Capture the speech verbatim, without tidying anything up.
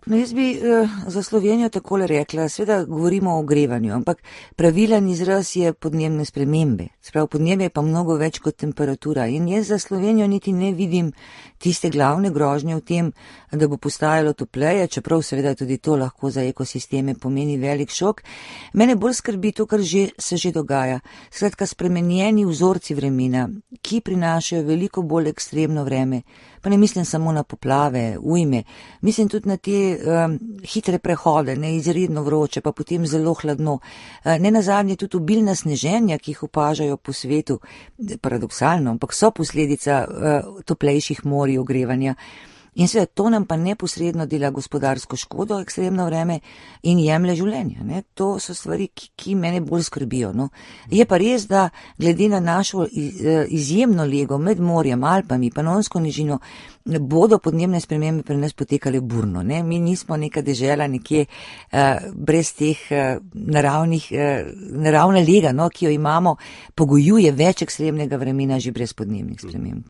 No, jaz bi uh, za Slovenijo takole rekla, seveda govorimo o ogrevanju, ampak pravilen izraz je podnebne spremembe. Sprav podnebje je pa mnogo več kot temperatura in jaz za Slovenijo niti ne vidim tiste glavne grožnje v tem, da bo postajalo topleje, čeprav seveda tudi to lahko za ekosisteme pomeni velik šok. Mene bolj skrbi to, kar že, se že dogaja. Skratka, spremenjeni vzorci vremena, ki prinašajo veliko bolj ekstremno vreme. Pa ne mislim samo na poplave, ujme, mislim tudi na te um, hitre prehode, ne izredno vroče, pa potem zelo hladno. Uh, ne nazadnje tudi obilna sneženja, ki jih opažajo po svetu, paradoksalno, ampak so posledica uh, toplejših morij, ogrevanja. In seveda to nam pa neposredno dela gospodarsko škodo, ekstremno vreme in jemlje življenja. Ne? To so stvari, ki, ki mene bolj skrbijo. No? Je pa res, da glede na našo izjemno lego med morjem, Alpami, Panonsko nižino, bodo podnebne spremembe pri nas potekale burno. Ne? Mi nismo neka dežela nekje uh, brez teh uh, naravnih, uh, naravna lega, no, ki jo imamo, pogojuje več ekstremnega vremena že brez podnebnih sprememb.